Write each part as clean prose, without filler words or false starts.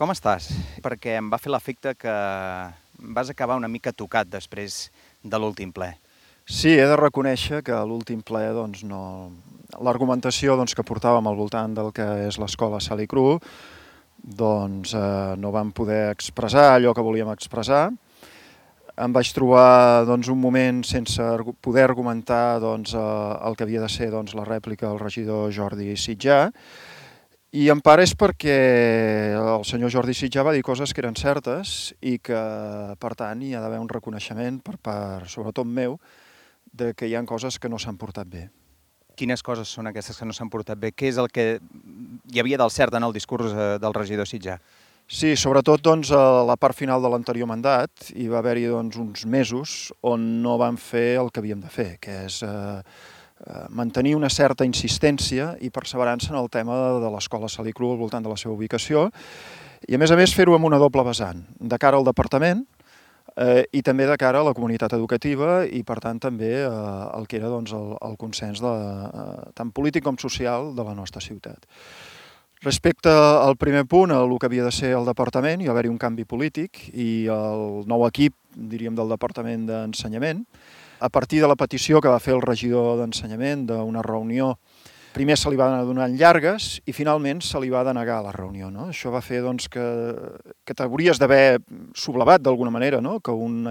Com estàs? Perquè em va fer l'efecte que vas acabar una mica tocat després de l'últim ple. Sí, he de reconèixer que a l'últim ple l'argumentació que portàvem al voltant del que és l'escola Sal i Cru no vam poder expressar allò que volíem expressar. Em vaig trobar un moment sense poder argumentar el que havia de ser la rèplica del regidor Jordi Sitjà, i en part és perquè el senyor Jordi Sitjà va dir coses que eren certes i que, per tant, hi ha d'haver un reconeixement per part, sobretot meu, de que hi ha coses que no s'han portat bé. Quines coses són aquestes que no s'han portat bé? Què és el que hi havia del cert en el discurs del regidor Sitjà? Sí, sobretot a la part final de l'anterior mandat hi va haver-hi uns mesos on no vam fer el que havíem de fer, que és mantenir una certa insistència i perseverança en el tema de l'escola Sal i Cru al voltant de la seva ubicació i, a més, fer-ho amb una doble vessant, de cara al departament i també de cara a la comunitat educativa i, per tant, també el que era el consens tant polític com social de la nostra ciutat. Respecte al primer punt, el que havia de ser el departament, hi va haver-hi un canvi polític i el nou equip, diríem, del Departament d'Ensenyament, a partir de la petició que va fer el regidor d'Ensenyament d'una reunió, primer se li va donar llargues i finalment se li va denegar la reunió. No? Això va fer que t'hauries d'haver sublevat d'alguna manera, no? que un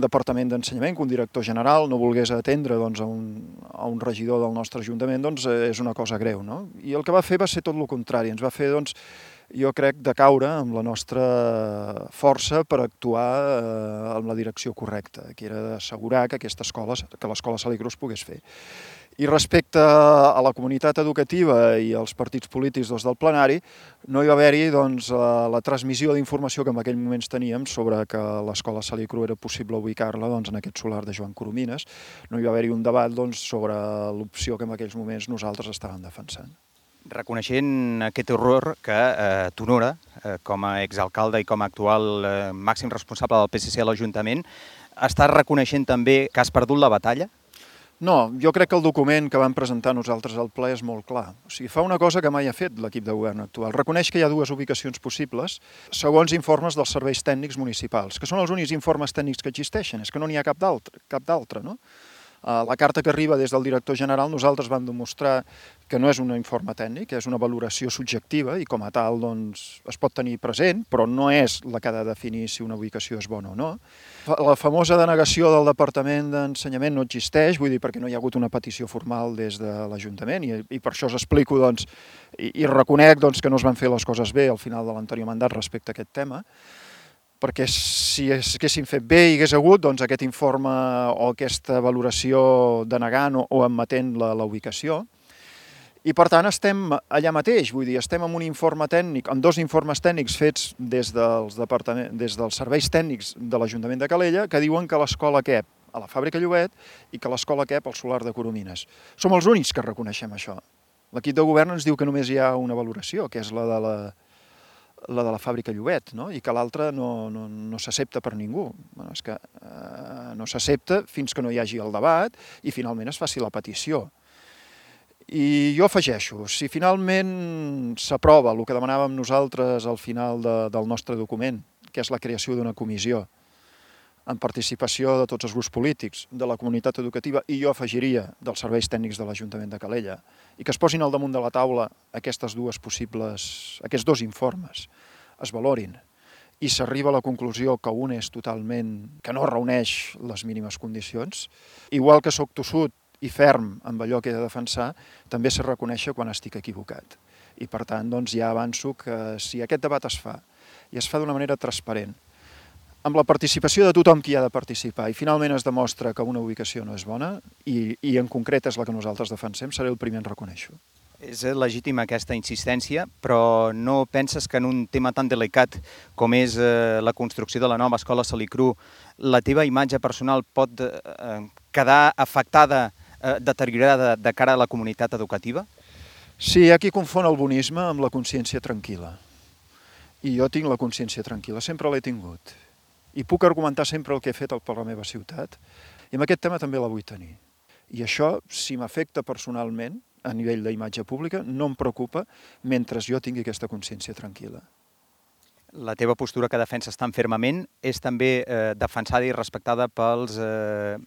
departament d'ensenyament, que un director general no volgués atendre a un regidor del nostre ajuntament, és una cosa greu. No? I el que va fer va ser tot el contrari, ens va fer, jo crec, de caure amb la nostra força per actuar en la direcció correcta, que era d'assegurar que l'escola Sal i Cru es pogués fer. I respecte a la comunitat educativa i als partits polítics del plenari, no hi va haver-hi la transmissió d'informació que en aquell moments teníem sobre que l'escola Sal i Cru era possible ubicar-la en aquest solar de Joan Coromines. No hi va haver-hi un debat sobre l'opció que en aquells moments nosaltres estàvem defensant. Reconeixent aquest error que t'honora com a exalcalde i com a actual màxim responsable del PSC a l'Ajuntament, estàs reconeixent també que has perdut la batalla? No, jo crec que el document que vam presentar nosaltres al ple és molt clar. O sigui, fa una cosa que mai ha fet l'equip de govern actual. Reconeix que hi ha dues ubicacions possibles segons informes dels serveis tècnics municipals, que són els únics informes tècnics que existeixen, és que no n'hi ha cap d'altre, no? La carta que arriba des del director general nosaltres vam demostrar que no és un informe tècnic, és una valoració subjectiva i com a tal es pot tenir present, però no és la que ha de definir si una ubicació és bona o no. La famosa denegació del Departament d'Ensenyament no existeix, vull dir, perquè no hi ha hagut una petició formal des de l'Ajuntament i per això us explico i reconec que no es van fer les coses bé al final de l'anterior mandat respecte a aquest tema, perquè si haguéssim fet bé hi hagués hagut aquest informe o aquesta valoració denegant o admetent la ubicació. I, per tant, estem allà mateix, vull dir, estem en un informe tècnic, en dos informes tècnics fets des dels serveis tècnics de l'Ajuntament de Calella, que diuen que l'escola cap a la Fàbrica Llobet i que l'escola cap al solar de Coromines. Som els únics que reconeixem això. L'equip de govern ens diu que només hi ha una valoració, que és la de la Fàbrica Llobet, no? I que l'altra no s'accepta per ningú. És que no s'accepta fins que no hi hagi el debat i finalment es faci la petició. I jo afegeixo, si finalment s'aprova el que demanàvem nosaltres al final del nostre document, que és la creació d'una comissió amb participació de tots els grups polítics, de la comunitat educativa i jo afegiria dels serveis tècnics de l'Ajuntament de Calella, i que es posin al damunt de la taula aquests dos informes, es valorin, i s'arriba a la conclusió que un és que no reuneix les mínimes condicions, igual que soc tossut i ferm amb allò que he de defensar, també s'ha de reconèixer quan estic equivocat. I per tant, ja avanço que si aquest debat es fa, i es fa d'una manera transparent, amb la participació de tothom qui ha de participar i finalment es demostra que una ubicació no és bona i en concret és la que nosaltres defensem, seré el primer en reconèixer-ho. És legítima aquesta insistència, però no penses que en un tema tan delicat com és la construcció de la nova escola Sal i Cru, la teva imatge personal pot quedar afectada, deteriorada de cara a la comunitat educativa? Sí, hi ha qui confon el bonisme amb la consciència tranquil·la. I jo tinc la consciència tranquil·la, sempre l'he tingut. I puc argumentar sempre el que he fet per la meva ciutat. I amb aquest tema també la vull tenir. I això, si m'afecta personalment, a nivell d'imatge pública no em preocupa mentre jo tingui aquesta consciència tranquil·la. La teva postura que defenses tan fermament és també defensada i respectada pels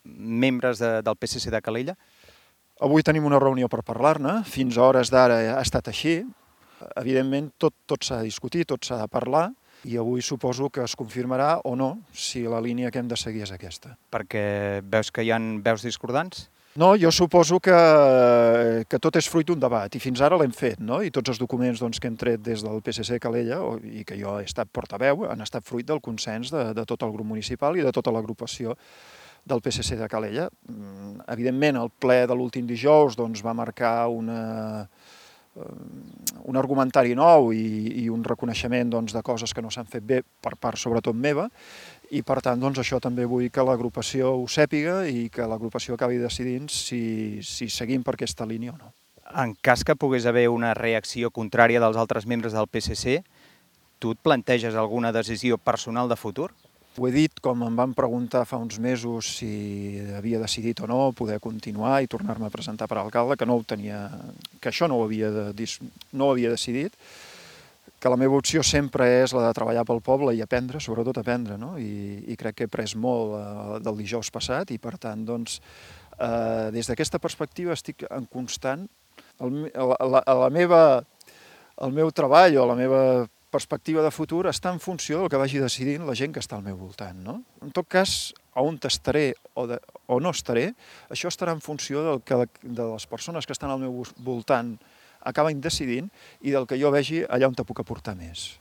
membres del PSC de Calella? Avui tenim una reunió per parlar-ne, fins a hores d'ara ha estat així. Evidentment, tot s'ha de discutir, tot s'ha de parlar, i avui suposo que es confirmarà o no si la línia que hem de seguir és aquesta. Perquè veus que hi ha veus discordants? No, jo suposo que tot és fruit d'un debat, i fins ara l'hem fet, no? I tots els documents que hem tret des del PSC Calella, i que jo he estat portaveu, han estat fruit del consens de tot el grup municipal i de tota l'agrupació del PSC de Calella. Evidentment, el ple de l'últim dijous va marcar un argumentari nou i un reconeixement de coses que no s'han fet bé per part sobretot meva, i per tant això també vull que l'agrupació ho sàpiga i que l'agrupació acabi decidint si seguim per aquesta línia o no. En cas que pogués haver una reacció contrària dels altres membres del PSC, tu et planteges alguna decisió personal de futur? Ho he dit, com em van preguntar fa uns mesos si havia decidit o no poder continuar i tornar-me a presentar per alcalde, que això no ho havia decidit, que la meva opció sempre és la de treballar pel poble i aprendre, sobretot aprendre, no? I crec que he après molt del dijous passat i, per tant, des d'aquesta perspectiva estic en constant. El meu treball o la meva perspectiva de futur està en funció del que vagi decidint la gent que està al meu voltant, no? En tot cas, on estaré o no estaré, això estarà en funció de les persones que estan al meu voltant acaben decidint i del que jo vegi allà on te puc aportar més.